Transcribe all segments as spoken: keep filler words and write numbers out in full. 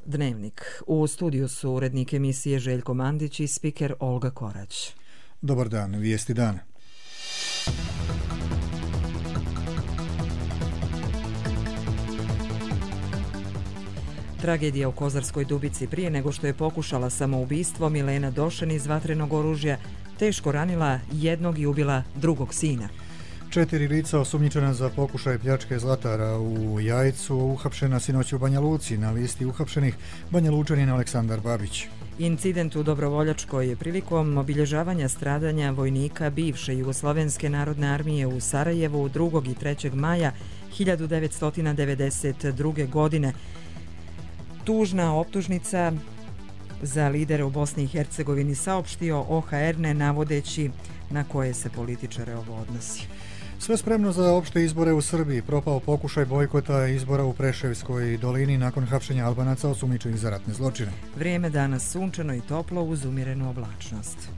Dnevnik. U studiju su urednik emisije Željko Mandić i spiker Olga Korać. Dobar dan, vijesti dana. Tragedija u Kozarskoj Dubici. Prije nego što je pokušala samoubistvo, Milena Došen iz vatrenog oružja teško ranila jednog i ubila drugog sina. Četiri lica osumnjičena za pokušaj pljačke zlatara u Jajcu uhapšena sinoć u Banja Luci. Na listi uhapšenih Banja Lučanin Aleksandar Babić. Incident u Dobrovoljačkoj je prilikom obilježavanja stradanja vojnika bivše Jugoslovenske narodne armije u Sarajevu drugog i trećeg maja hiljadu devetsto devedeset druge. godine. Tužna optužnica za lidere u Bosni i Hercegovini, saopštio O H R, ne navodeći na koje se političare ovo odnosi. Sve spremno za opšte izbore u Srbiji. Propao pokušaj bojkota izbora u Preševskoj dolini nakon hapšenja Albanaca osumnjičenih za ratne zločine. Vrijeme danas sunčano i toplo uz umjerenu oblačnost.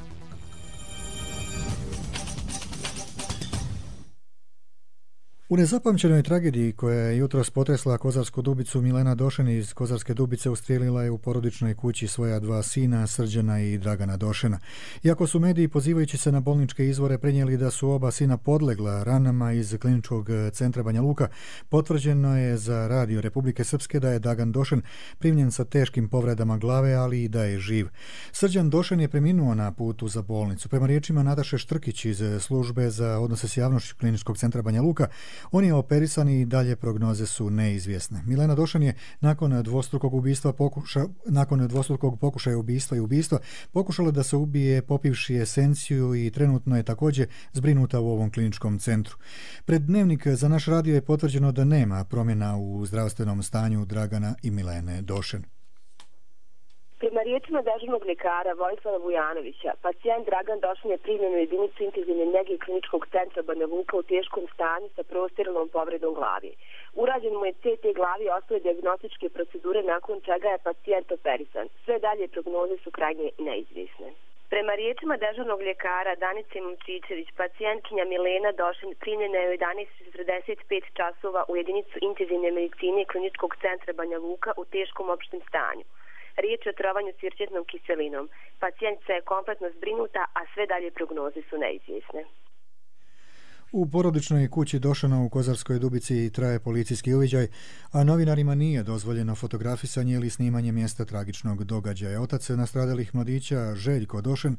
U nezapamćenoj tragediji koja je jutros potresla Kozarsku Dubicu, Milena Došen iz Kozarske Dubice ustrijelila je u porodičnoj kući svoja dva sina, Srđana i Dragana Došena. Iako su mediji, pozivajući se na bolničke izvore, prenijeli da su oba sina podlegla ranama iz kliničkog centra Banja Luka, potvrđeno je za Radio Republike Srpske da je Dragan Došen primljen sa teškim povredama glave, ali i da je živ. Srđan Došen je preminuo na putu za bolnicu. Prema riječima Nataše Štrkić iz službe za odnose s javnošću kliničkog centra Banja Luka, on je operisan i dalje prognoze su neizvjesne. Milena Došen je nakon dvostrukog ubistva pokuša, nakon dvostrukog pokušaja ubistva i ubistva pokušala da se ubije popivši esenciju i trenutno je također zbrinuta u ovom kliničkom centru. Pred Dnevnik za naš radio je potvrđeno da nema promjena u zdravstvenom stanju Dragana i Milene Došen. Prema riječima dežurnog ljekara Vojislava Vujanovića, pacijent Dragan Došen je primljen u jedinicu intenzivne njege kliničkog centra Banja Luka u teškom stanju sa prostiralnom povredom glavi. Urađen mu je C T glavi i ostale dijagnostičke procedure, nakon čega je pacijent operisan. Sve dalje prognoze su krajnje neizvjesne. Prema riječima dežurnog ljekara Danice Momčićević, pacijentkinja Milena Došen primljena je u jedanaest četrdeset pet časova u jedinicu intenzivne medicine kliničkog centra Banja Luka u teškom opštem stanju. Riječ je o trovanju sirćetnom kiselinom. Pacijentica je kompletno zbrinuta, a sve dalje prognoze su neizvjesne. U porodičnoj kući Došena u Kozarskoj Dubici traje policijski uviđaj, a novinarima nije dozvoljeno fotografisanje ili snimanje mjesta tragičnog događaja. Otac nastradalih mladića, Željko Došen,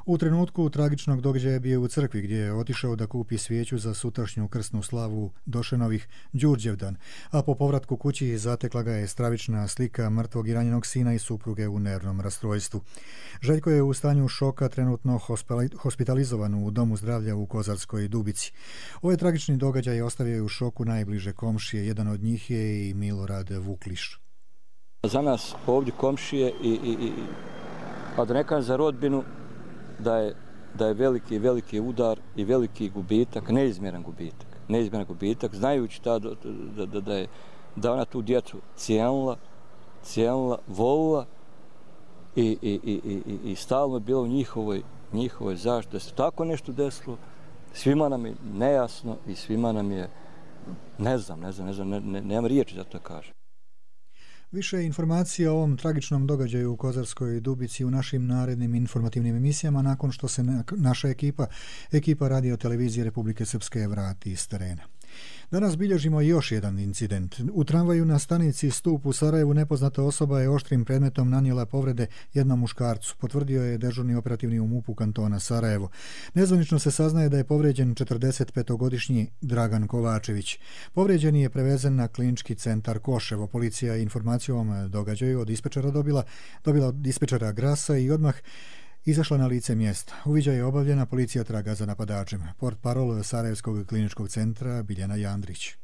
u trenutku tragičnog događaja bio u crkvi gdje je otišao da kupi svijeću za sutrašnju krsnu slavu Došenovih Đurđevdan, a po povratku kući zatekla ga je stravična slika mrtvog i ranjenog sina i supruge u nervnom rastrojstvu. Željko je u stanju šoka trenutno hospitalizovan u domu zdravlja u Kozarskoj Dubici. Ovaj tragični događaj ostavio je u šoku najbliže komšije, jedan od njih je i Milorad Vukliš. Za nas ovdje komšije, i, i, i, a da ne kažem za rodbinu, da je, da je veliki, veliki udar i veliki gubitak, neizmjeran gubitak, neizmjeran gubitak, znajući ta, da, da, da, je, da ona tu djecu cijenila, cijenila, volila i, i, i, i, i stalno je bilo u njihovoj, njihovoj zaštiti. Da se tako nešto desilo, svima nam je nejasno i svima nam je, ne znam, ne znam, ne znam, ne, ne, nemam riječi da to kažem. Više informacija o ovom tragičnom događaju u Kozarskoj Dubici u našim narednim informativnim emisijama nakon što se naša ekipa, ekipa Radio Televizije Republike Srpske vrati iz terena. Danas bilježimo još jedan incident. U tramvaju na stanici Stup u Sarajevu nepoznata osoba je oštrim predmetom nanijela povrede jednom muškarcu, potvrdio je dežurni operativni u MUP-u kantona Sarajevo. Nezvanično se saznaje da je povrijeđen četrdesetpetogodišnji Dragan Kovačević. Povrijeđeni je prevezen na klinički centar Koševo. Policija je informaciju o ovom događaju od dispečera dobila, dobila od dispečera Grasa i odmah izašla na lice mjesta. Uviđaj je obavljena, policija traga za napadačem. Portparol Sarajevskog kliničkog centra Biljana Jandrić.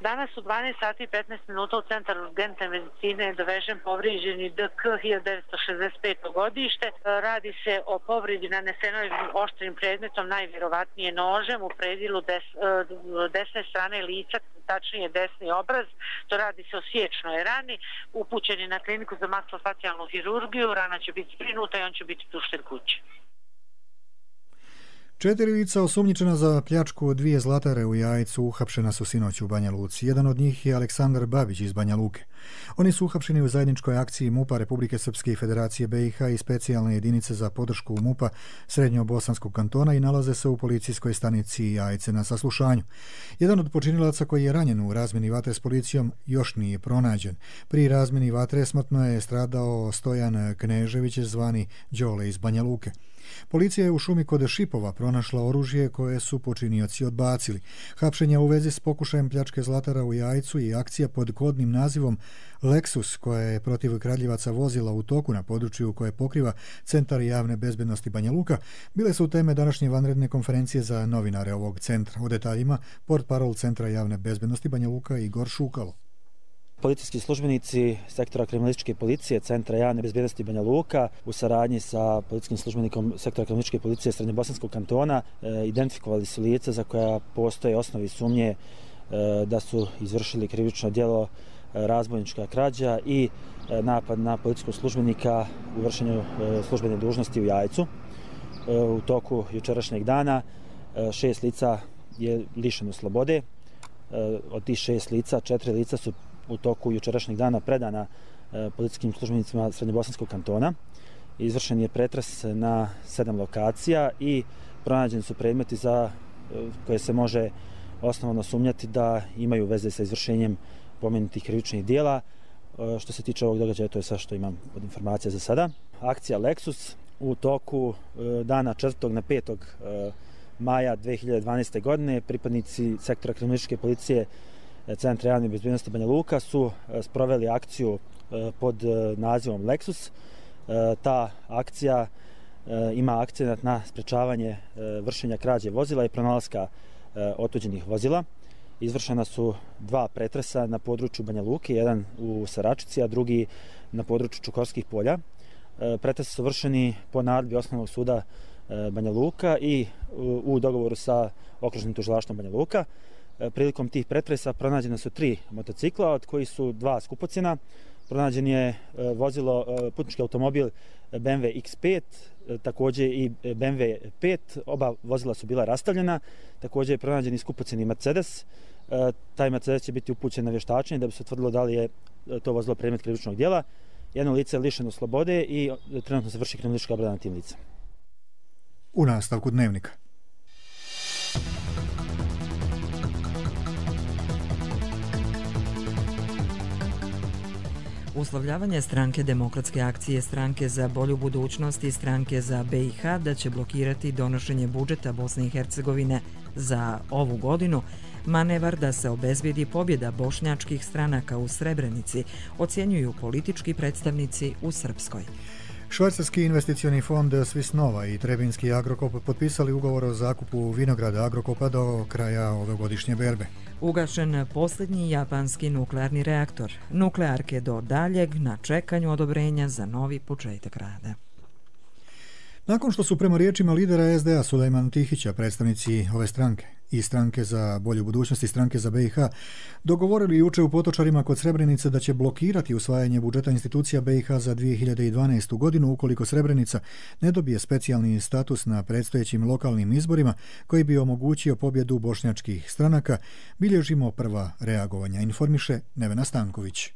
Danas u dvanaest sati i petnaest minuta u centar urgentne medicine je dovežen povrijeđeni D K hiljadu devetsto šezdeset peto godište. Radi se o povredi nanesenoj oštrim predmetom, najvjerovatnije nožem u predilu des, desne strane lica, tačnije desni obraz. To radi se o sječnoj rani. Upućen je na kliniku za makrofacijalnu hirurgiju, rana će biti zbrinuta i on će biti pušten kući. Četiri lica osumnjičena za pljačku dvije zlatare u Jajcu uhapšena su sinoć u Banja Luci. Jedan od njih je Aleksandar Babić iz Banja Luke. Oni su uhapšeni u zajedničkoj akciji MUP-a Republike Srpske i Federacije B i H i specijalne jedinice za podršku MUP-a Srednjobosanskog kantona i nalaze se u policijskoj stanici Jajce na saslušanju. Jedan od počinilaca koji je ranjen u razmjeni vatre s policijom još nije pronađen. Pri razmjeni vatre smrtno je stradao Stojan Knežević zvani Đole iz Banja Luke. Policija je u šumi kod Šipova pronašla oružje koje su počinioci odbacili. Hapšenja u vezi s pokušajem pljačke zlatara u Jajcu i akcija pod kodnim nazivom Lexus, koja je protiv kradljivaca vozila u toku na području koje pokriva Centar javne bezbednosti Banja Luka, bile su teme današnje vanredne konferencije za novinare ovog centra. O detaljima portparol Centra javne bezbednosti Banja Luka Igor Šukalo. Policijski službenici sektora kriminalističke policije Centra javne bezbednosti Banja Luka u saradnji sa policijskim službenikom sektora kriminalističke policije Srednjobosanskog kantona e, identifikovali su lica za koja postoje osnovi sumnje e, da su izvršili krivično djelo e, razbojnička krađa i e, napad na policijskog službenika u vršenju e, službene dužnosti u Jajcu. E, u toku jučerašnjeg dana e, šest lica je lišeno slobode. E, od tih šest lica, četiri lica su u toku jučerašnjeg dana predana e, policijskim službenicima Srednjobosanskog kantona. Izvršen je pretres na sedam lokacija i pronađeni su predmeti za e, koje se može osnovno sumnjati da imaju veze sa izvršenjem pomenutih krivičnih dijela. E, što se tiče ovog događaja, to je sve što imam od informacija za sada. Akcija Lexus u toku e, dana četvrtog na petog e, maja dve hiljade dvanaeste. godine pripadnici sektora kriminalističke policije Centra javne bezbednosti Banja Luka su sproveli akciju pod nazivom Lexus. Ta akcija ima akcenat na sprečavanje vršenja krađe vozila i pronalaska otuđenih vozila. Izvršena su dva pretresa na području Banja Luke, jedan u Saračici, a drugi na području Čukorskih polja. Pretresi su vršeni po naredbi Osnovnog suda Banja Luka i u dogovoru sa Okružnim tužilaštvom Banja Luka. Prilikom tih pretresa pronađene su tri motocikla, od kojih su dva skupocjena. Pronađen je vozilo, putnički automobil B M W X pet, također i B M W pet, oba vozila su bila rastavljena. Također je pronađen i skupocjeni Mercedes. Taj Mercedes će biti upućen na vještačenje da bi se utvrdilo da li je to vozilo predmet krivičnog djela. Jedno lice je lišeno slobode i trenutno se vrši kriminalistička obrada na tim licem. U nastavku dnevnika. Uslovljavanje stranke Demokratske akcije, stranke za bolju budućnost i stranke za B i H da će blokirati donošenje budžeta Bosne i Hercegovine za ovu godinu, manevar da se obezbijedi pobjeda bošnjačkih stranaka u Srebrenici, ocjenjuju politički predstavnici u Srpskoj. Švajcarski investicioni fond Swiss Nova i Trebinski Agrokop potpisali ugovor o zakupu vinograda Agrokopa do kraja ovogodišnje berbe. Ugašen posljednji japanski nuklearni reaktor. Nuklearke do daljeg na čekanju odobrenja za novi početak rada. Nakon što su prema riječima lidera S D A Sulejmana Tihića predstavnici ove stranke i stranke za bolju budućnost i stranke za B i H dogovorili juče u Potočarima kod Srebrenice da će blokirati usvajanje budžeta institucija B i H za dvije hiljade dvanaestu. godinu ukoliko Srebrenica ne dobije specijalni status na predstojećim lokalnim izborima koji bi omogućio pobjedu bošnjačkih stranaka, bilježimo prva reagovanja, informiše Nevena Stanković.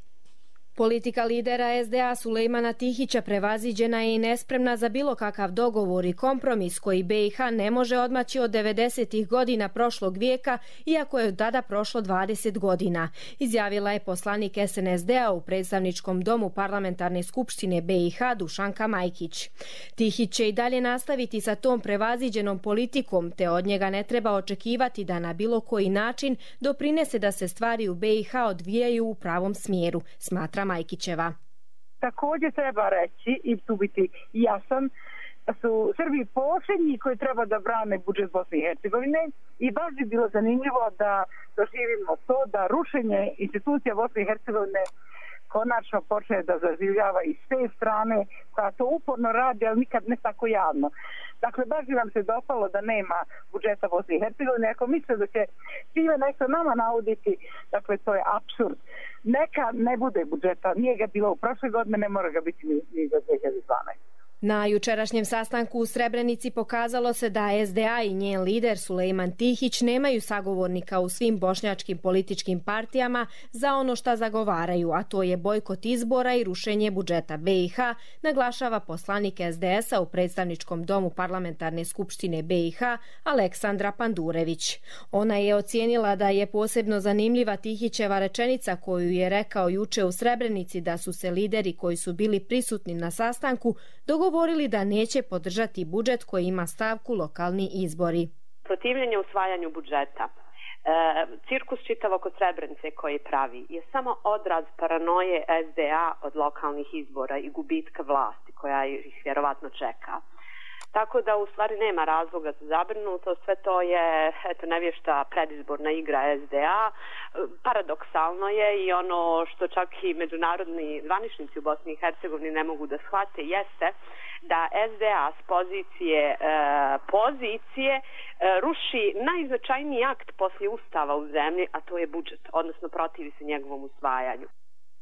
Politika lidera S D A Sulejmana Tihića prevaziđena je i nespremna za bilo kakav dogovor i kompromis koji B i H ne može odmaći od devedesetih godina prošlog vijeka, iako je od tada prošlo dvadeset godina, izjavila je poslanik S N S D-a u predstavničkom domu parlamentarne skupštine B i H Dušanka Majkić. Tihić će i dalje nastaviti sa tom prevaziđenom politikom, te od njega ne treba očekivati da na bilo koji način doprinese da se stvari u B i H odvijaju u pravom smjeru, smatra Majkićeva. Također treba reći i tu biti jasan da su Srbi posljednji koji treba da brane budžet Bosne i Hercegovine i baš bi bilo zanimljivo da doživimo to da rušenje institucija Bosne i Hercegovine konačno počne da zaživljava i s te strane koja to uporno radi, ali nikad ne tako javno. Dakle, baš bi vam se dopalo da nema budžeta Bosne i Hercegovine. Ako misle da će time nešto nama nauditi, dakle, to je apsurd. Neka ne bude budžeta. Nije ga bilo u prošle godine, ne mora ga biti ni, ni za dvije hiljade dvanaeste. Na jučerašnjem sastanku u Srebrenici pokazalo se da S D A i njen lider Sulejman Tihić nemaju sagovornika u svim bošnjačkim političkim partijama za ono šta zagovaraju, a to je bojkot izbora i rušenje budžeta B i H, naglašava poslanik S D S-a u predstavničkom domu Parlamentarne skupštine B i H Aleksandra Pandurević. Ona je ocijenila da je posebno zanimljiva Tihićeva rečenica koju je rekao juče u Srebrenici da su se lideri koji su bili prisutni na sastanku dogovorili da neće podržati budžet koji ima stavku lokalni izbori. Protivljenje usvajanju budžeta, e, cirkus čitav oko Srebrenice koji pravi je samo odraz paranoje S D A od lokalnih izbora i gubitka vlasti koja ih vjerovatno čeka. Tako da u stvari nema razloga za zabrinutost, sve to je eto, nevješta predizborna igra S D A. Paradoksalno je i ono što čak i međunarodni zvaničnici u Bosni i Hercegovini ne mogu da shvate jeste da S D A s pozicije e, pozicije e, ruši najznačajniji akt poslije ustava u zemlji, a to je budžet, odnosno protivi se njegovom usvajanju.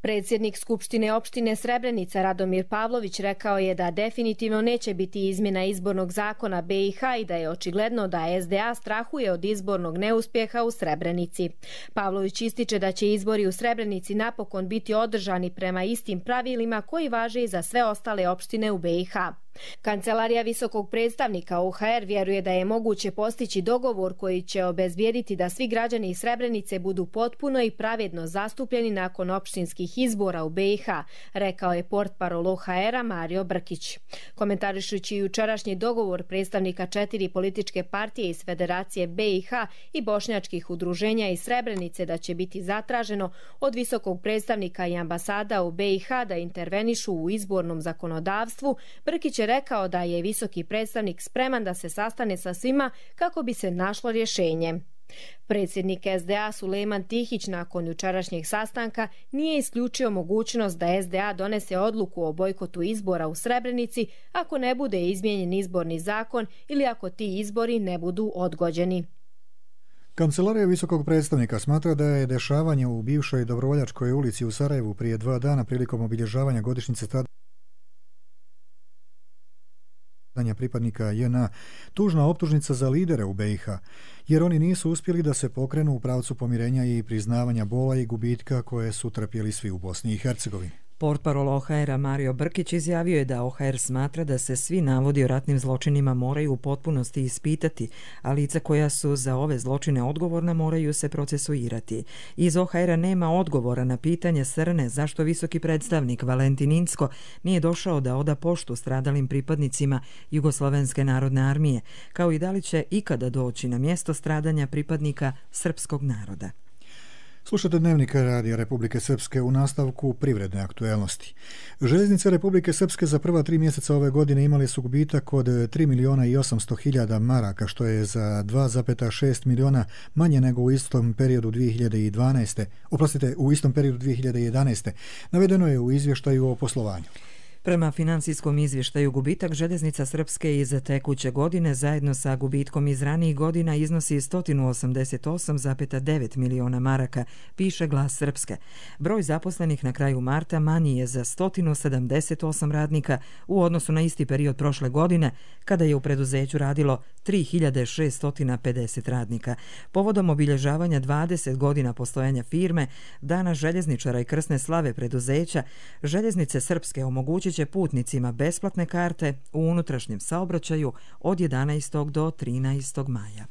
Predsjednik Skupštine opštine Srebrenica Radomir Pavlović rekao je da definitivno neće biti izmjena izbornog zakona B i H i da je očigledno da S D A strahuje od izbornog neuspjeha u Srebrenici. Pavlović ističe da će izbori u Srebrenici napokon biti održani prema istim pravilima koji važe i za sve ostale opštine u B i H. Kancelarija visokog predstavnika O H R vjeruje da je moguće postići dogovor koji će obezbijediti da svi građani iz Srebrenice budu potpuno i pravedno zastupljeni nakon opštinskih izbora u B i H, rekao je portparol O H R-a Mario Brkić. Komentarišući jučerašnji dogovor predstavnika četiri političke partije iz Federacije B i H i bošnjačkih udruženja iz Srebrenice da će biti zatraženo od visokog predstavnika i ambasada u B i H da intervenišu u izbornom zakonodavstvu, Brkić je rekao da je visoki predstavnik spreman da se sastane sa svima kako bi se našlo rješenje. Predsjednik S D A Sulejman Tihić nakon jučerašnjeg sastanka nije isključio mogućnost da S D A donese odluku o bojkotu izbora u Srebrenici ako ne bude izmijenjen izborni zakon ili ako ti izbori ne budu odgođeni. Kancelarija visokog predstavnika smatra da je dešavanje u bivšoj Dobrovoljačkoj ulici u Sarajevu prije dva dana prilikom obilježavanja godišnjice stradanja pripadnika J N A tužna optužnica za lidere u B i H, jer oni nisu uspjeli da se pokrenu u pravcu pomirenja i priznavanja bola i gubitka koje su trpjeli svi u Bosni i Hercegovini. Portparol O H R-a Mario Brkić izjavio je da O H R smatra da se svi navodi o ratnim zločinima moraju u potpunosti ispitati, a lica koja su za ove zločine odgovorna moraju se procesuirati. Iz O H R-a nema odgovora na pitanje Srne zašto visoki predstavnik Valentin Incko nije došao da oda poštu stradalim pripadnicima Jugoslovenske narodne armije, kao i da li će ikada doći na mjesto stradanja pripadnika srpskog naroda. Slušate Dnevnik Radija Republike Srpske u nastavku privredne aktuelnosti. Željeznice Republike Srpske za prva tri mjeseca ove godine imali su gubitak od tri miliona i osamsto hiljada maraka, što je za dva zarez šest miliona manje nego u istom periodu dvije hiljade dvanaeste. Oprostite, u istom periodu dvije hiljade jedanaeste. Navedeno je u izvještaju o poslovanju. Prema financijskom izvještaju gubitak željeznica Srpske iz tekuće godine zajedno sa gubitkom iz ranijih godina iznosi sto osamdeset osam zarez devet miliona maraka, piše Glas Srpske. Broj zaposlenih na kraju marta manji je za sto sedamdeset osam radnika u odnosu na isti period prošle godine, kada je u preduzeću radilo tri hiljade šesto pedeset radnika. Povodom obilježavanja dvadeset godina postojanja firme, Dana željezničara i krsne slave preduzeća, željeznice Srpske omogućit će putnicima besplatne karte u unutrašnjem saobraćaju od jedanaestog do trinaestog maja.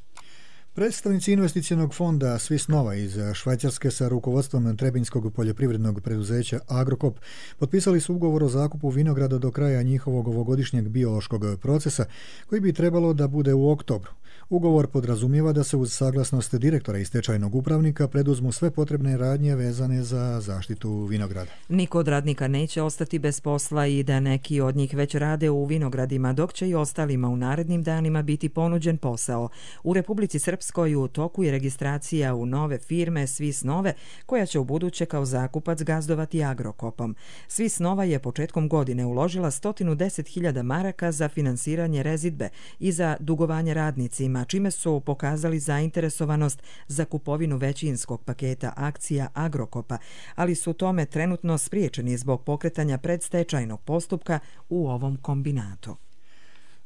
Predstavnici investicionog fonda Swiss Nova iz Švajcarske sa rukovodstvom Trebinjskog poljoprivrednog preduzeća Agrokop potpisali su ugovor o zakupu vinograda do kraja njihovog ovogodišnjeg biološkog procesa, koji bi trebalo da bude u oktobru. Ugovor podrazumijeva da se uz saglasnost direktora i stečajnog upravnika preduzmu sve potrebne radnje vezane za zaštitu vinograda. Niko od radnika neće ostati bez posla i da neki od njih već rade u vinogradima, dok će i ostalima u narednim danima biti ponuđen posao. U Republici Srpskoj Srpskoj u toku je registracija u nove firme Swiss Nove, koja će ubuduće kao zakupac gazdovati Agrokopom. Swiss Nova je početkom godine uložila sto deset hiljada maraka za finansiranje rezidbe i za dugovanje radnicima, čime su pokazali zainteresovanost za kupovinu većinskog paketa akcija Agrokopa, ali su tome trenutno spriječeni zbog pokretanja predstečajnog postupka u ovom kombinatu.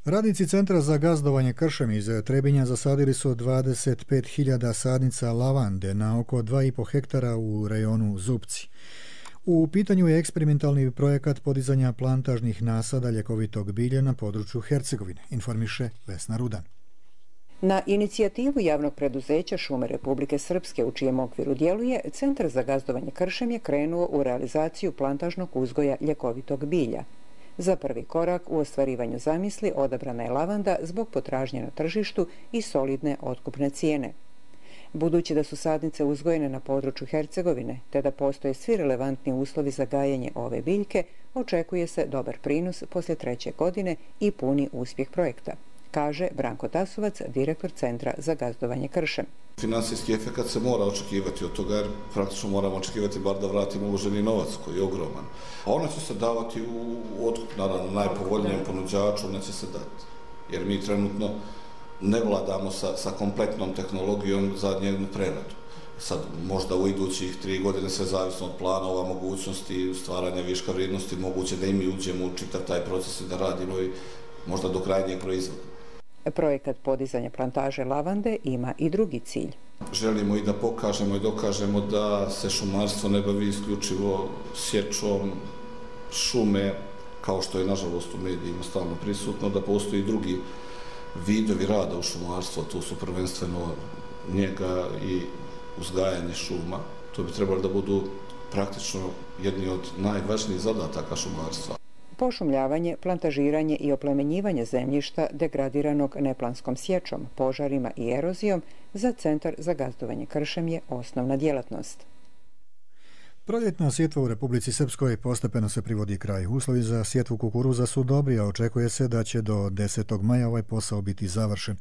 Radnici Centra za gazdovanje kršem iz Trebinja zasadili su dvadeset pet hiljada sadnica lavande na oko dva i po hektara u rejonu Zupci. U pitanju je eksperimentalni projekat podizanja plantažnih nasada ljekovitog bilja na području Hercegovine, informiše Vesna Rudan. Na inicijativu javnog preduzeća Šume Republike Srpske, u čijem okviru djeluje, Centar za gazdovanje kršem je krenuo u realizaciju plantažnog uzgoja ljekovitog bilja. Za prvi korak u ostvarivanju zamisli odabrana je lavanda zbog potražnje na tržištu i solidne otkupne cijene. Budući da su sadnice uzgojene na području Hercegovine, te da postoje svi relevantni uslovi za gajenje ove biljke, očekuje se dobar prinos poslije treće godine i puni uspjeh projekta, kaže Branko Tasovac, direktor Centra za gazdovanje kršem. Finansijski efekt se mora očekivati od toga, jer praktično moramo očekivati bar da vratimo uloženi novac koji je ogroman. A ona će se davati u otkup, naravno, najpovoljnijem ponuđaču, neće se dati. Jer mi trenutno ne vladamo sa, sa kompletnom tehnologijom za njenu preradu. Sad, možda u idućih tri godine, sve zavisno od planova, mogućnosti stvaranja viška vrijednosti, moguće da i mi uđemo u čitav taj proces i da radimo i možda do krajnjeg proizvoda. Projekat podizanja plantaže lavande ima i drugi cilj. Želimo i da pokažemo i dokažemo da se šumarstvo ne bavi isključivo sječom šume, kao što je nažalost u medijima stalno prisutno, da postoji drugi vidovi rada u šumarstvu, tu su prvenstveno njega i uzgajanje šuma. To bi trebalo da budu praktično jedni od najvažnijih zadataka šumarstva. Pošumljavanje, plantažiranje i oplemenjivanje zemljišta degradiranog neplanskom sječom, požarima i erozijom za Centar za gazdovanje kršem je osnovna djelatnost. Proljetna sjetva u Republici Srpskoj postepeno se privodi kraju. Uslovi za sjetvu kukuruza su dobri, a očekuje se da će do desetog maja ovaj posao biti završen.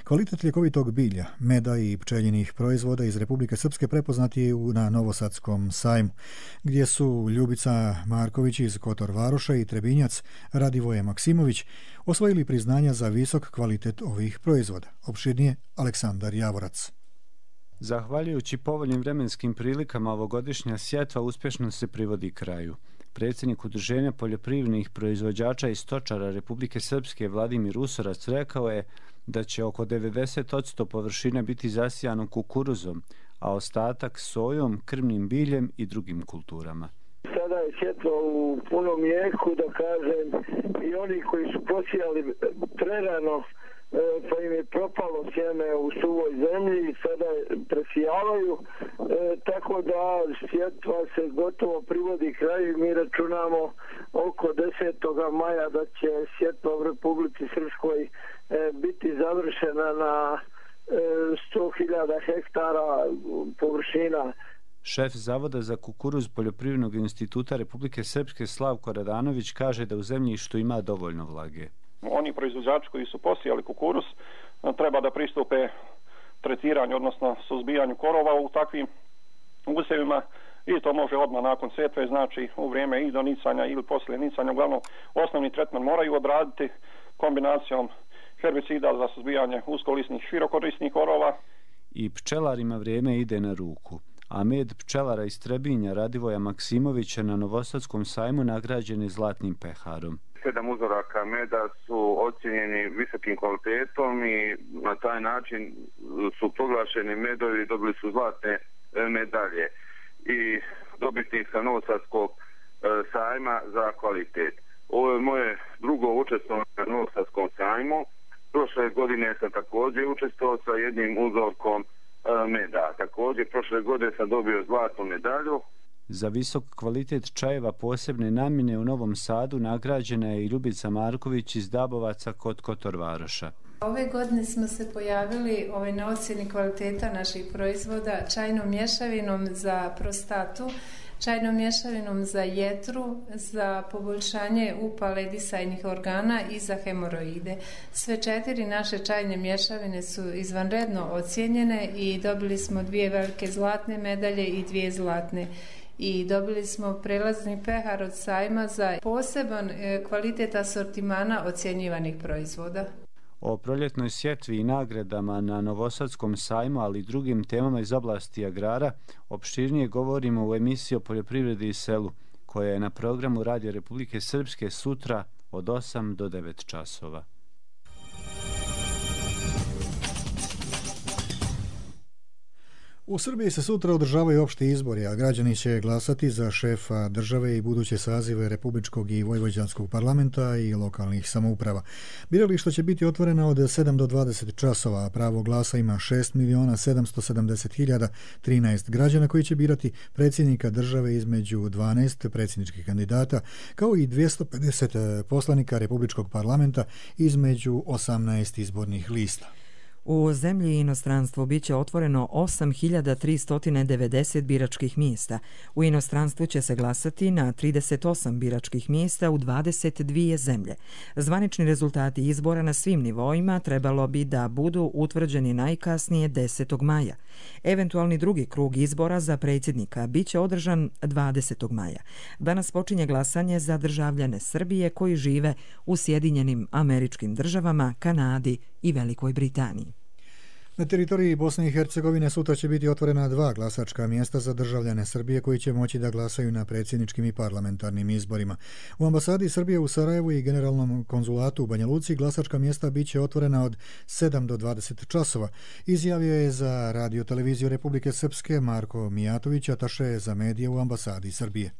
Kvalitet ljekovitog bilja, meda i pčeljinih proizvoda iz Republike Srpske prepoznati je na Novosadskom sajmu, gdje su Ljubica Marković iz Kotor Varoša i Trebinjac Radivoje Maksimović osvojili priznanja za visok kvalitet ovih proizvoda. Opširnije Aleksandar Javorac. Zahvaljujući povoljnim vremenskim prilikama, ovogodišnja sjetva uspješno se privodi kraju. Predsjednik Udruženja poljoprivrednih proizvođača i stočara Republike Srpske Vladimir Usorac rekao je da će oko devedeset posto površine biti zasijano kukuruzom, a ostatak sojom, krmnim biljem i drugim kulturama. Sada je sjetva u punom jeku, da kažem, i oni koji su posijali prerano, pa im je propalo sjeme u suvoj zemlji i sada presijavaju, e, tako da sjetva se gotovo privodi kraju i mi računamo oko desetog maja da će sjetva u Republici Srpskoj e, biti završena na e, sto hiljada hektara površina. Šef Zavoda za kukuruz Poljoprivrednog instituta Republike Srpske Slavko Radanović kaže da u zemljištu ima dovoljno vlage. Oni proizvođači koji su posijali kukuruz treba da pristupe tretiranju, odnosno suzbijanju korova u takvim usjevima i to može odmah nakon sjetve, znači u vrijeme i do nicanja ili poslije nicanja. Uglavnom, osnovni tretman moraju odraditi kombinacijom herbicida za suzbijanje uskolisnih širokorisnih korova. I pčelarima vrijeme ide na ruku. A med pčelara iz Trebinja Radivoja Maksimovića na Novosadskom sajmu nagrađen je zlatnim peharom. Sedam uzoraka meda su ocjenjeni visokim kvalitetom i na taj način su proglašeni medovi i dobili su zlatne medalje. I dobitnik sa Novosadskog sajma za kvalitet. Ovo je moje drugo učestvovanje na Novosadskom sajmu. Prošle godine sam također učestvovao sa jednim uzorkom meda. Također prošle godine sam dobio zlatnu medalju. Za visok kvalitet čajeva posebne namjene u Novom Sadu nagrađena je i Ljubica Marković iz Dabovaca kod Kotor Varoša. Ove godine smo se pojavili ovaj, na ocjeni kvaliteta naših proizvoda čajnom mješavinom za prostatu čajnom mješavinom za jetru, za poboljšanje upale disajnih organa i za hemoroide. Sve četiri naše čajne mješavine su izvanredno ocijenjene i dobili smo dvije velike zlatne medalje i dvije zlatne. I dobili smo prelazni pehar od sajma za poseban kvalitet asortimana ocjenjivanih proizvoda. O proljetnoj sjetvi i nagradama na Novosadskom sajmu, ali i drugim temama iz oblasti agrara, opširnije govorimo u emisiji o poljoprivredi i selu, koja je na programu Radija Republike Srpske sutra od osam do devet časova. U Srbiji se sutra održavaju opšti izbori, a građani će glasati za šefa države i buduće sazive Republičkog i Vojvođanskog parlamenta i lokalnih samouprava. Birališta će biti otvorena od sedam do dvadeset časova, a pravo glasa ima šest miliona sedamsto sedamdeset hiljada trinaest građana koji će birati predsjednika države između dvanaest predsjedničkih kandidata, kao i dvjesto pedeset poslanika Republičkog parlamenta između osamnaest izbornih lista. U zemlji i inostranstvu biće otvoreno osam hiljada tristo devedeset biračkih mjesta. U inostranstvu će se glasati na trideset osam biračkih mjesta u dvadeset dvije zemlje. Zvanični rezultati izbora na svim nivoima trebalo bi da budu utvrđeni najkasnije desetog maja. Eventualni drugi krug izbora za predsjednika biće održan dvadesetog maja. Danas počinje glasanje za državljane Srbije koji žive u Sjedinjenim Američkim Državama, Kanadi i Velikoj Britaniji. Na teritoriji Bosne i Hercegovine sutra će biti otvorena dva glasačka mjesta za državljane Srbije koji će moći da glasaju na predsjedničkim i parlamentarnim izborima. U ambasadi Srbije u Sarajevu i generalnom konzulatu u Banja Luci glasačka mjesta biće otvorena od sedam do dvadeset časova. Izjavio je za Radio televiziju Republike Srpske Marko Mijatović, ataše za medije u ambasadi Srbije.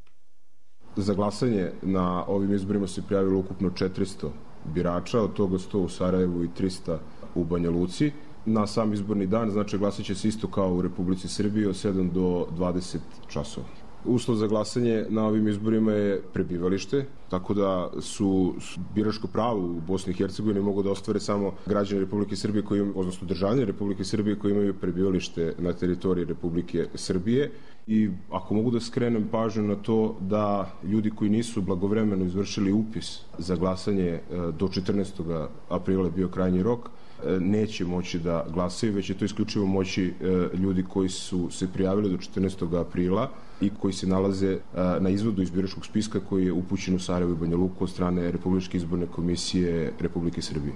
Za glasanje na ovim izborima se prijavilo ukupno četiristo birača, od toga sto u Sarajevu i trista u Banja Luci. Na sam izborni dan, znači glasat će se isto kao u Republici Srbiji od sedam do dvadeset časova. Uslov za glasanje na ovim izborima je prebivalište, tako da su biračko pravo u Bosni i Hercegovini mogu da ostvare samo građani Republike Srbije, koji, odnosno državljani Republike Srbije koji imaju prebivalište na teritoriji Republike Srbije. I ako mogu da skrenem pažnju na to da ljudi koji nisu blagovremeno izvršili upis za glasanje do četrnaestog aprila je bio krajnji rok, neće moći da glasaju, već je to isključivo moći ljudi koji su se prijavili do četrnaestog aprila i koji se nalaze na izvodu iz biračkog spiska koji je upućen u Sarajevo i Banja Luku od strane Republičke izborne komisije Republike Srbije.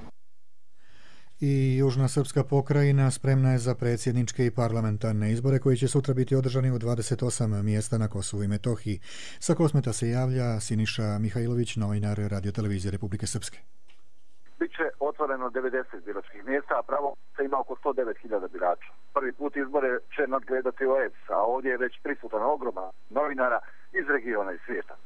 I Južna srpska pokrajina spremna je za predsjedničke i parlamentarne izbore koji će sutra biti održani u dvadeset osam mjesta na Kosovu i Metohiji. Sa Kosmeta se javlja Siniša Mihajlović, novinar Radio televizije Republike Srpske. Biće otvoreno devedeset biračkih mjesta, a pravo se ima oko sto devet hiljada birača. Prvi put izbore će nadgledati O E B S, a ovdje je već prisutan ogroman novinara iz regiona i svijeta.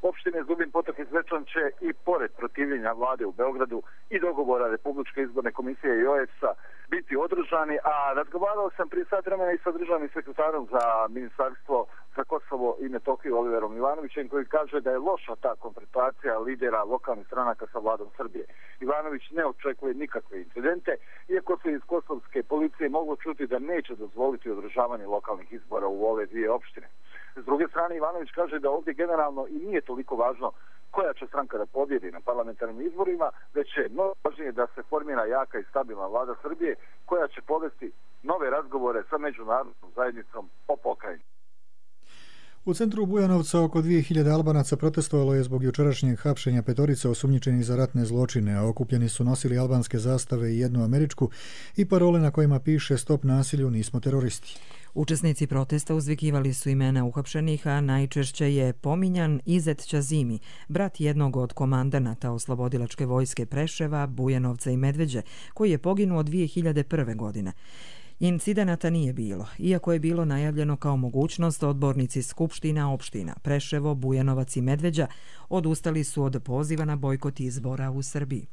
Opštine Zubin Potok i Zvečan će i pored protivljenja vlade u Beogradu i dogovora Republičke izborne komisije i O E B S-a biti održani, a razgovarao sam prije sat vremena i sa državnim sekretarom za ministarstvo za Kosovo i Metohiju Oliverom Ivanovićem, koji kaže da je loša ta konfrontacija lidera lokalnih stranaka sa vladom Srbije. Ivanović ne očekuje nikakve incidente, iako se iz kosovske policije moglo čuti da neće dozvoliti održavanje lokalnih izbora u ove dvije opštine. S druge strane, Ivanović kaže da ovdje generalno i nije toliko važno koja će stranka da pobjedi na parlamentarnim izborima, već je mnogo važnije da se formira jaka i stabilna vlada Srbije koja će povesti nove razgovore sa međunarodnom zajednicom o pokrajini. U centru Bujanovca oko dvije hiljade Albanaca protestovalo je zbog jučerašnjeg hapšenja petorice osumnjičenih za ratne zločine, a okupljeni su nosili albanske zastave i jednu američku i parole na kojima piše "Stop nasilju, nismo teroristi". Učesnici protesta uzvikivali su imena uhapšenih, a najčešće je pominjan Izet Ćazimi, brat jednog od komandanata oslobodilačke vojske Preševa, Bujanovca i Medveđe, koji je poginuo dvije hiljade prve. godine. Incidenata nije bilo, iako je bilo najavljeno kao mogućnost. Odbornici skupština opština Preševo, Bujanovac i Medveđa odustali su od poziva na bojkot izbora u Srbiji.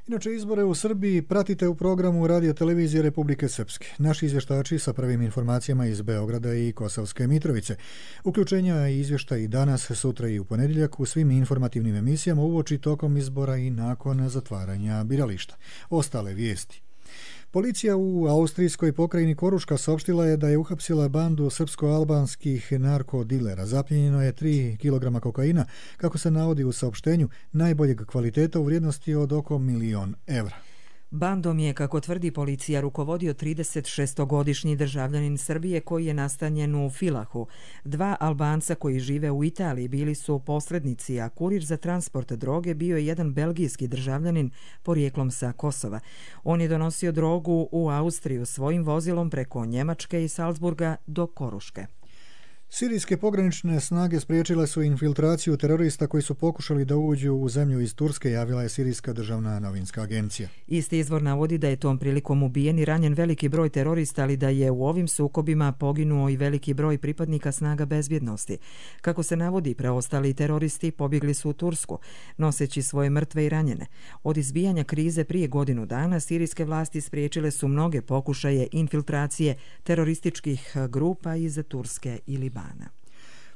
Inače, izbore u Srbiji pratite u programu Radio televizije Republike Srpske. Naši izvještači sa prvim informacijama iz Beograda i Kosovske Mitrovice. Uključenja i izvještaj i danas, sutra i u ponedjeljak u svim informativnim emisijama uoči tokom izbora i nakon zatvaranja birališta. Ostale vijesti. Policija u austrijskoj pokrajini Koruška saopštila je da je uhapsila bandu srpsko-albanskih narkodilera. Zapljenjeno je tri kilograma kokaina, kako se navodi u saopštenju, najboljeg kvaliteta u vrijednosti od oko milion evra. Bandom je, kako tvrdi policija, rukovodio trideset šestogodišnji državljanin Srbije koji je nastanjen u Filahu. Dva Albanca koji žive u Italiji bili su posrednici, a kurir za transport droge bio je jedan belgijski državljanin porijeklom sa Kosova. On je donosio drogu u Austriju svojim vozilom preko Njemačke i Salzburga do Koruške. Sirijske pogranične snage spriječile su infiltraciju terorista koji su pokušali da uđu u zemlju iz Turske, javila je Sirijska državna novinska agencija. Isti izvor navodi da je tom prilikom ubijen i ranjen veliki broj terorista, ali da je u ovim sukobima poginuo i veliki broj pripadnika snaga bezbjednosti. Kako se navodi, preostali teroristi pobjegli su u Tursku, noseći svoje mrtve i ranjene. Od izbijanja krize prije godinu dana sirijske vlasti spriječile su mnoge pokušaje infiltracije terorističkih grupa iz Turske i Libana.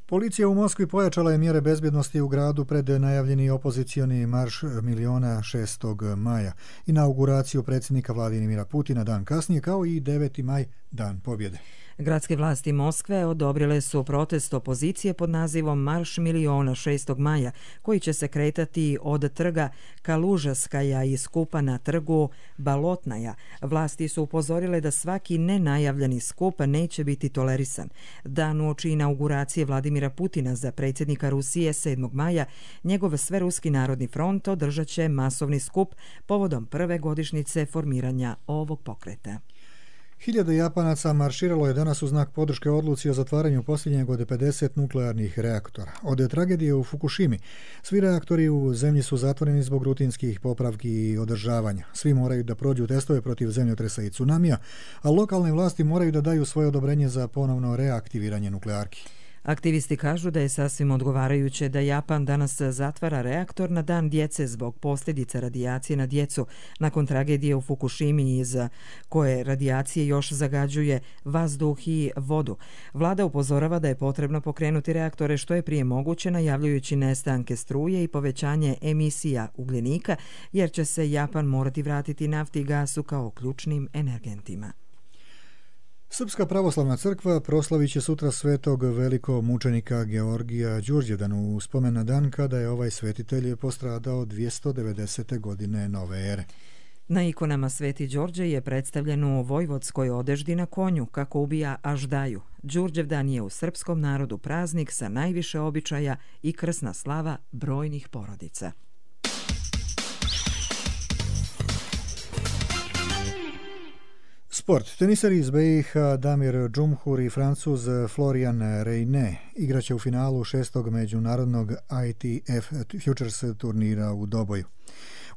Policija u Moskvi pojačala je mjere bezbjednosti u gradu pred najavljeni opozicioni marš miliona šestog maja, inauguraciju predsjednika Vladimira Putina dan kasnije, kao i deveti maj, dan pobjede. Gradske vlasti Moskve odobrile su protest opozicije pod nazivom Marš miliona šestog maja, koji će se kretati od trga Kalužaskaja i skupa na trgu Balotnaja. Vlasti su upozorile da svaki nenajavljeni skup neće biti tolerisan. Dan uoči inauguracije Vladimira Putina za predsjednika Rusije sedmog maja, njegov Sveruski narodni front održat će masovni skup povodom prve godišnjice formiranja ovog pokreta. Hiljade Japanaca marširalo je danas u znak podrške odluci o zatvaranju posljednjeg od pedeset nuklearnih reaktora. Od tragedije u Fukushimi svi reaktori u zemlji su zatvoreni zbog rutinskih popravki i održavanja. Svi moraju da prođu testove protiv zemljotresa i tsunamija, a lokalne vlasti moraju da daju svoje odobrenje za ponovno reaktiviranje nuklearki. Aktivisti kažu da je sasvim odgovarajuće da Japan danas zatvara reaktor na dan djece zbog posljedica radijacije na djecu nakon tragedije u Fukushimi iz koje radijacije još zagađuje vazduh i vodu. Vlada upozorava da je potrebno pokrenuti reaktore što je prije moguće, najavljujući nestanke struje i povećanje emisija ugljenika, jer će se Japan morati vratiti nafti i gasu kao ključnim energentima. Srpska pravoslavna crkva proslavit će sutra svetog velikomučenika Georgija Đurđevdan u spomen na dan kada je ovaj svetitelj postradao dvjesto devedesete godine nove ere. Na ikonama Sveti Đorđe je predstavljen u vojvodskoj odeždi na konju, kako ubija aždaju. Đurđevdan je u srpskom narodu praznik sa najviše običaja i krsna slava brojnih porodica. Sport. Teniseri iz B i H Damir Džumhur i Francuz Florian Reyne igraće u finalu šestog međunarodnog I T F Futures turnira u Doboju.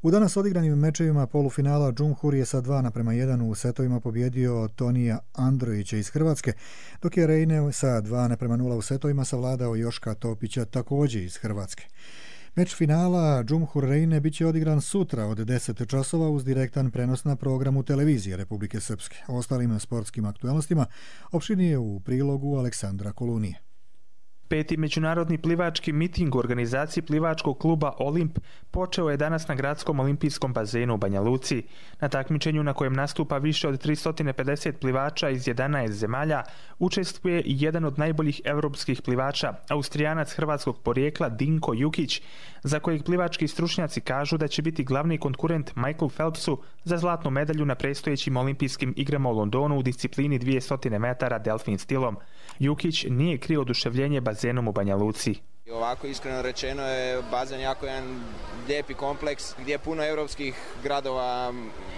U danas odigranim mečevima polufinala Džumhur je sa dva naprema jedan u setovima pobjedio Tonija Androjića iz Hrvatske, dok je Reyne sa dva naprema nula u setovima savladao Joška Topića također iz Hrvatske. Meč finala Džumhur Reyne bit će odigran sutra od deset časova uz direktan prenos na programu televizije Republike Srpske. O ostalim sportskim aktualnostima opširnije u prilogu Aleksandra Kolunije. Peti međunarodni plivački miting u organizaciji plivačkog kluba Olimp počeo je danas na gradskom olimpijskom bazenu u Banja Luci. Na takmičenju na kojem nastupa više od tristo pedeset plivača iz jedanaest zemalja učestvuje i jedan od najboljih evropskih plivača, Austrijanac hrvatskog porijekla Dinko Jukić, za kojeg plivački stručnjaci kažu da će biti glavni konkurent Michael Phelpsu za zlatnu medalju na predstojećim olimpijskim igrama u Londonu u disciplini dvjesto metara delfin stilom. Jukić nije krio oduševljenje bazenom u Banja Luci. Ovako iskreno rečeno je bazen jako jedan lijepi kompleks gdje puno europskih gradova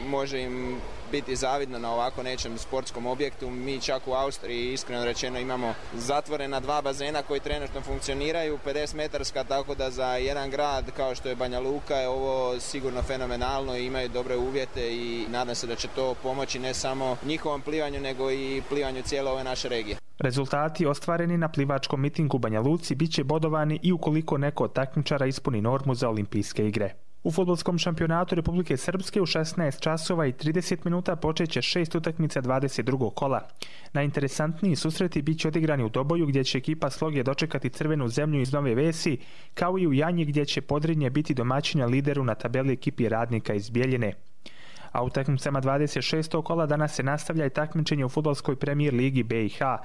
može im biti zavidno na ovako nečem sportskom objektu. Mi čak u Austriji iskreno rečeno imamo zatvorena dva bazena koji trenutno funkcioniraju, pedeset metarska, tako da za jedan grad kao što je Banja Luka je ovo sigurno fenomenalno i imaju dobre uvjete i nadam se da će to pomoći ne samo njihovom plivanju nego i plivanju cijele ove naše regije. Rezultati ostvareni na plivačkom mitingu u Banja Luci bit će bodovani i ukoliko neko od takmičara ispuni normu za olimpijske igre. U fudbalskom šampionatu Republike Srpske u šesnaest časova i trideset minuta počeće šest utakmica dvadeset drugog kola. Najinteresantniji susreti bit će odigrani u Doboju gdje će ekipa Sloge dočekati Crvenu zemlju iz Nove Vesi, kao i u Janji gdje će Podrinje biti domaćina lideru na tabeli ekipi Radnika iz Bjeljine. A u takmicama dvadeset šestog kola danas se nastavlja i takmičenje u fudbalskoj premijer ligi B i H.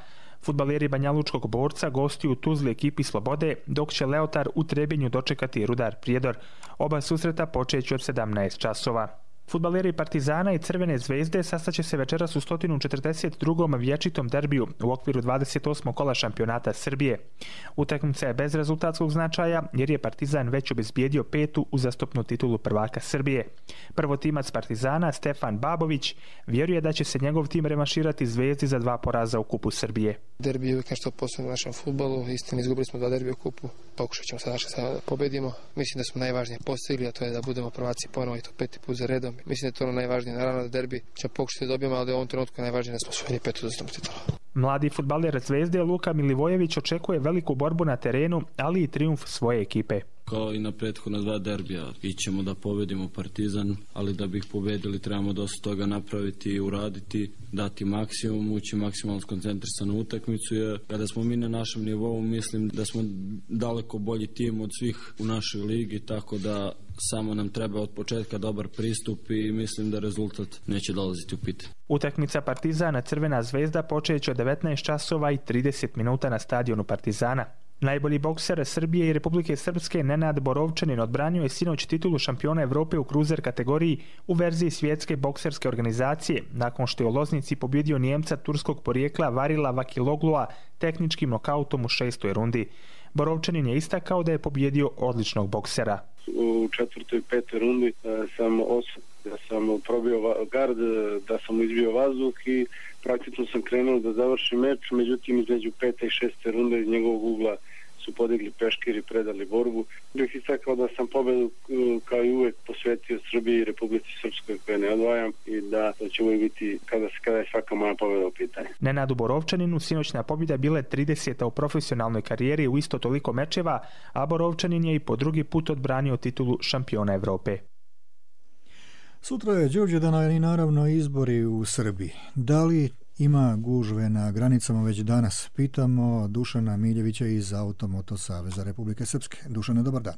Fudbaleri Banjalučkog Borca gostuju u Tuzli ekipi Slobode, dok će Leotar u Trebinju dočekati Rudar Prijedor. Oba susreta počeće od sedamnaest časova. Fudbaleri Partizana i Crvene zvezde sastaće se večeras u sto četrdeset drugom vječitom derbiju u okviru dvadeset osmog kola šampionata Srbije. Utakmica je bez rezultatskog značaja jer je Partizan već obezbijedio petu uzastopnu titulu prvaka Srbije. Prvotimac Partizana, Stefan Babović, vjeruje da će se njegov tim revanširati Zvezdi za dva poraza u Kupu Srbije. Derbi je uvijek nešto posebno u našem fudbalu. Istina, izgubili smo dva derbija u Kupu. Pokušat ćemo sada da pobedimo. Mislim da smo najvažnije postigli, a to je da budemo prvaci ponovo i to peti put za redom. Mislim da je to ono najvažnije. Naravno da derbi će pokušati da dobijemo, ali u ovom trenutku najvažnije da smo osvojili petu uzastopnu titulu. Mladi fudbaler Zvezde Luka Milivojević očekuje veliku borbu na terenu, ali i trijumf svoje ekipe. Kao i na prethodna dva derbija, ićemo da pobedimo Partizan, ali da bi ih pobedili trebamo dosta toga napraviti i uraditi, dati maksimum, ući maksimalno skoncentrisano u utakmicu, jer kada smo mi na našem nivou, mislim da smo daleko bolji tim od svih u našoj ligi, tako da samo nam treba od početka dobar pristup i mislim da rezultat neće dolaziti u pitanje. Utakmica Partizana Crvena zvezda počeće od devetnaest časova i trideset minuta na stadionu Partizana. Najbolji bokser Srbije i Republike Srpske Nenad Borovčanin odbranio je sinoć titulu šampiona Evrope u kruzer kategoriji u verziji svjetske bokserske organizacije, nakon što je u Loznici pobjedio Nijemca turskog porijekla Varila Vakiloglua tehničkim nokautom u šestoj rundi. Borovčanin je istakao da je pobjedio odličnog boksera. U četvrtoj i petoj rundi sam osjetio da sam probio gard, da sam izbio vazduh i praktično sam krenuo da završim meč, međutim između pete i šeste runde iz njegovog ugla su podigli peškir i predali borbu. Bih istakao da sam pobedu kao i uvek posvetio Srbiji i Republici Srpskoj koje ne odvajam i da to će uvijek biti kada, kada je svaka moja pobeda u pitanju. Nenadu Borovčaninu sinoćna pobjeda bila je trideseta u profesionalnoj karijeri u isto toliko mečeva, a Borovčanin je i po drugi put odbranio titulu šampiona Evrope. Sutra je Đurđevdan i naravno izbori u Srbiji. Da li ima gužve na granicama već danas? Pitamo Dušana Miljevića iz Automoto Saveza Republike Srpske. Dušane, dobar dan.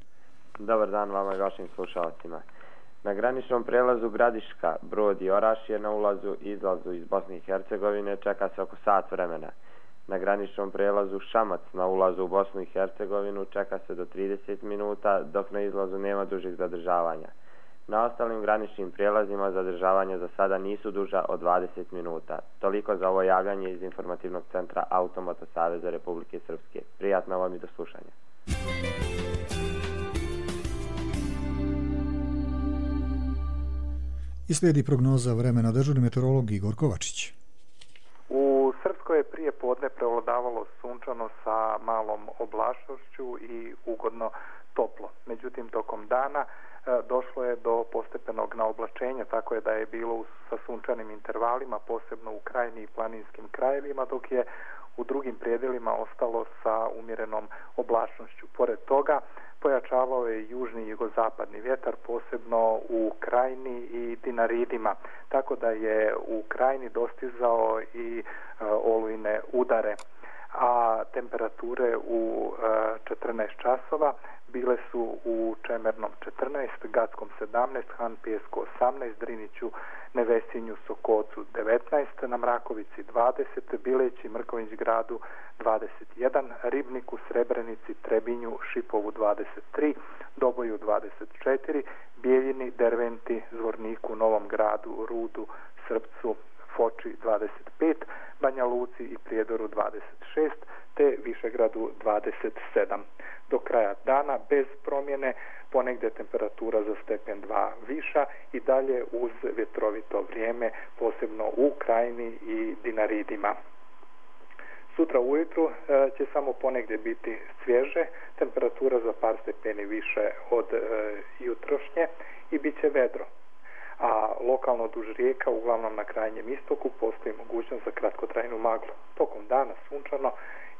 Dobar dan vama i vašim slušalcima. Na graničnom prelazu Gradiška, Brod i Orašje na ulazu i izlazu iz Bosne i Hercegovine čeka se oko sat vremena. Na graničnom prelazu Šamac na ulazu u Bosnu i Hercegovinu čeka se do trideset minuta, dok na izlazu nema dužih zadržavanja. Na ostalim graničnim prijelazima zadržavanja za sada nisu duža od dvadeset minuta. Toliko za ovo javljanje iz informativnog centra Automoto Saveza Republike Srpske. Prijatno vam i do slušanja. I slijedi prognoza vremena, dežurni meteorolog Igor Kovačić. U Srpskoj je prije podne prevladavalo sunčano sa malom oblačnošću i ugodno toplo. Međutim, tokom dana došlo je do postepenog naoblačenja, tako je da je bilo sa sunčanim intervalima, posebno u krajini i planinskim krajevima, dok je u drugim predjelima ostalo sa umjerenom oblačnošću. Pored toga, pojačavao je južni i jugozapadni vjetar, posebno u krajini i Dinaridima, tako da je u krajini dostizao i olujne udare. A temperature u četrnaest časova bile su u Čemernom četrnaest, Gatskom sedamnaest, Hanpijesku osamnaest, Driniću, Nevesinju, Sokocu devetnaest, na Mrakovici dvadeset, Bileći, Mrković gradu dvadeset jedan, Ribniku, Srebrenici, Trebinju, Šipovu dvadeset tri, Doboju dvadeset četiri, Bijeljini, Derventi, Zvorniku, Novom gradu, Rudu, Srpcu, Foči dvadeset pet, Banja Luci i Prijedoru dvadeset šest, te Višegradu dvadeset sedam. Do kraja dana bez promjene, ponegdje temperatura za stepen dva viša i dalje uz vjetrovito vrijeme, posebno u krajini i Dinaridima. Sutra ujutru e, će samo ponegdje biti svježe, temperatura za par stepeni više od e, jutrošnje i bit će vedro. A lokalno duž rijeka, uglavnom na krajnjem istoku, postoji mogućnost za kratkotrajnu maglu. Tokom dana sunčano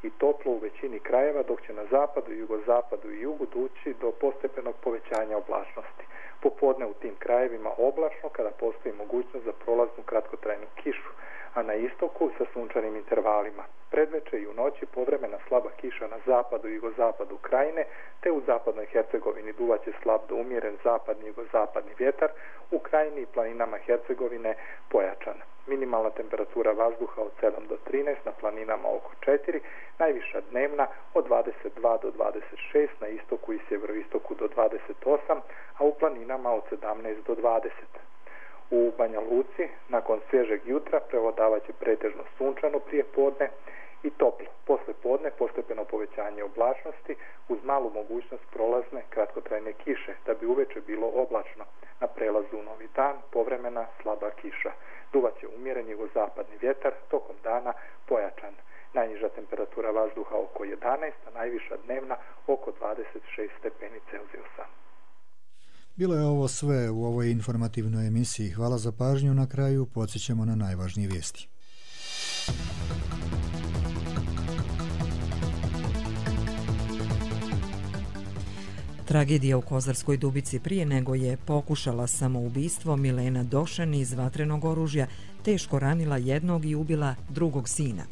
i toplo u većini krajeva, dok će na zapadu, jugozapadu i jugu doći do postepenog povećanja oblačnosti. Popodne u tim krajevima oblačno kada postoji mogućnost za prolaznu kratkotrajnu kišu, a na istoku sa sunčanim intervalima. Predveče i u noći povremena slaba kiša na zapadu i jugozapadu krajine, te u zapadnoj Hercegovini duvaće slab do umjeren zapadni i jugozapadni vjetar, u krajini i planinama Hercegovine pojačan. Minimalna temperatura vazduha od sedam do trinaest, na planinama oko četiri, najviša dnevna od dvadeset dva do dvadeset šest, na istoku i sjeveroistoku do dvadeset osam, a u planinama od sedamnaest do dvadeset. U Banja Luci, nakon svježeg jutra, prevladavat će pretežno sunčano prije podne i toplo. Posle podne postepeno povećanje oblačnosti uz malu mogućnost prolazne kratkotrajne kiše, da bi uveče bilo oblačno. Na prelazu u novi dan povremena slaba kiša. Duvat će umjeren jugozapadni vjetar, tokom dana pojačan. Najniža temperatura vazduha oko jedanaest, a najviša dnevna oko dvadeset šest stepeni Celzijusa. Bilo je ovo sve u ovoj informativnoj emisiji. Hvala za pažnju. Na kraju podsjećamo na najvažnije vijesti. Tragedija u Kozarskoj Dubici prije nego je pokušala samoubistvo, Milena Došan iz vatrenog oružja teško ranila jednog i ubila drugog sina.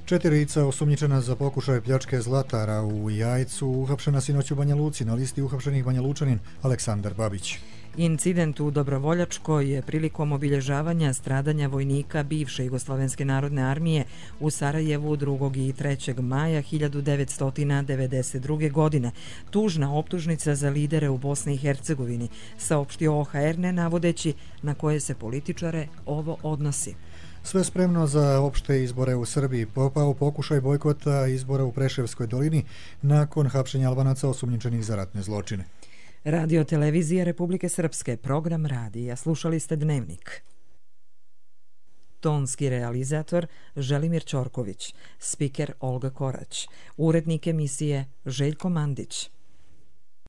Četirica osumnjičena za pokušaj pljačke zlatara u Jajcu uhapšena sinoć u Banja Luci. Na listi uhapšenih Banja Lučanin Aleksandar Babić. Incident u Dobrovoljačkoj je prilikom obilježavanja stradanja vojnika bivše Jugoslovenske narodne armije u Sarajevu drugog i trećeg maja hiljadu devetsto devedeset druge. godine. Tužna optužnica za lidere u Bosni i Hercegovini, saopštio O H R, ne navodeći na koje se političare ovo odnosi. Sve spremno za opšte izbore u Srbiji. Popao pokušaj bojkota izbora u Preševskoj dolini nakon hapšenja Albanaca osumnjičenih za ratne zločine. Radio televizija Republike Srpske, program radija. Slušali ste Dnevnik. Tonski realizator Želimir Ćorković, spiker Olga Korać, urednik emisije Željko Mandić.